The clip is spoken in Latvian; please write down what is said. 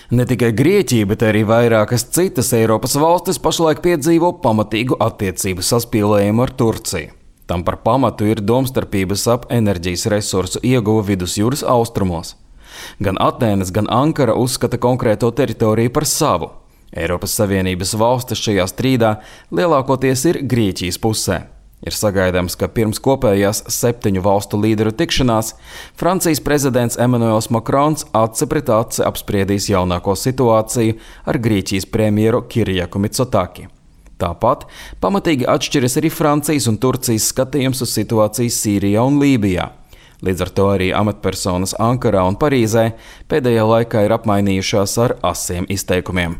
Ne tikai Grieķija, bet arī vairākas citas Eiropas valstis pašlaik piedzīvo pamatīgu attiecību saspīlējumu ar Turciju. Tam par pamatu ir domstarpības ap enerģijas resursu ieguvu vidusjūras austrumos. Gan Atēnas, gan Ankara uzskata konkrēto teritoriju par savu. Eiropas Savienības valstis šajā strīdā lielākoties ir Grieķijas pusē. Ir sagaidāms, ka pirms kopējās 7 valstu līderu tikšanās Francijas prezidents Emmanuels Macrons aci pret aci apspriedīs jaunāko situāciju ar Grieķijas premjeru Kyriaku Mitsotaki. Tāpat pamatīgi atšķiras arī Francijas un Turcijas skatījums uz situāciju Sīrijā un Lībijā. Līdz ar to arī amatpersonas Ankarā un Parīzē pēdējā laikā ir apmainījušās ar asiem izteikumiem.